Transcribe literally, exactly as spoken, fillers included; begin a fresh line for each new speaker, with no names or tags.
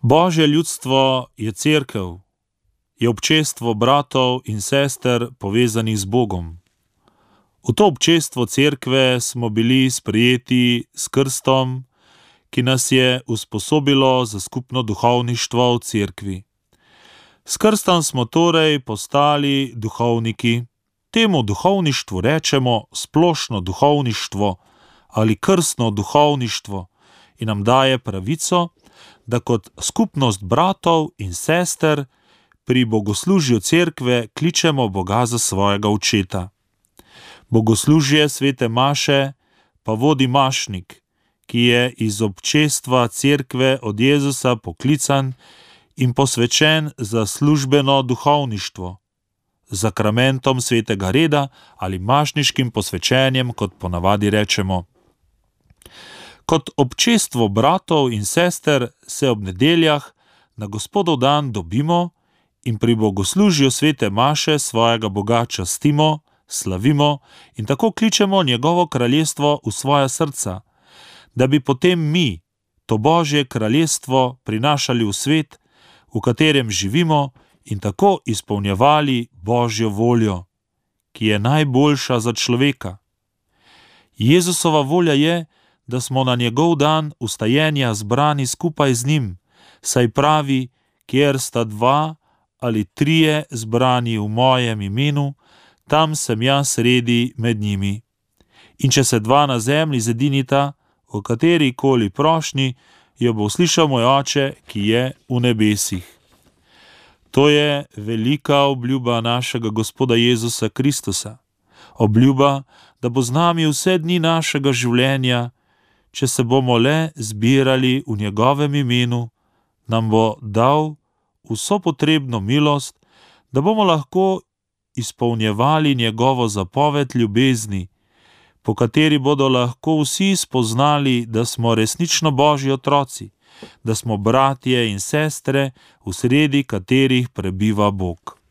Božje ljudstvo je cerkev, je občestvo bratov in sester povezanih z Bogom. V to občestvo cerkve smo bili sprejeti s krstom, ki nas je usposobilo za skupno duhovništvo v cerkvi. S krstom smo torej postali duhovniki. Temu duhovništvu rečemo splošno duhovništvo ali krstno duhovništvo in nam daje pravico, da kot skupnost bratov in sester pri bogoslužju cerkve kličemo Boga za svojega očeta. Bogoslužje svete maše pa vodi mašnik, ki je iz občestva cerkve od Jezusa poklican in posvečen za službeno duhovništvo, zakramentom svetega reda ali mašniškim posvečenjem, kot ponavadi rečemo. Kot občestvo bratov in sester se ob nedeljah na Gospodov dan dobimo in pri bogoslužju svete maše svojega Boga častimo, slavimo in tako kličemo njegovo kraljestvo v svoja srca, da bi potem mi to Božje kraljestvo prinašali v svet, v katerem živimo, in tako izpolnjevali Božjo voljo, ki je najboljša za človeka. Jezusova volja je, da smo na njegov dan vstajenja zbrani skupaj z njim, saj pravi, kjer sta dva ali trije zbrani v mojem imenu, tam sem jaz sredi med njimi. In če se dva na zemlji zedinita, v katerikoli prošnji, jo bo slišal moj Oče, ki je v nebesih. To je velika obljuba našega Gospoda Jezusa Kristusa. Obljuba, da bo z nami vse dni našega življenja, če se bomo le zbirali v njegovem imenu, nam bo dal vso potrebno milost, da bomo lahko izpolnjevali njegovo zapoved ljubezni, po kateri bodo lahko vsi spoznali, da smo resnično Božji otroci, da smo bratje in sestre, v sredi katerih prebiva Bog.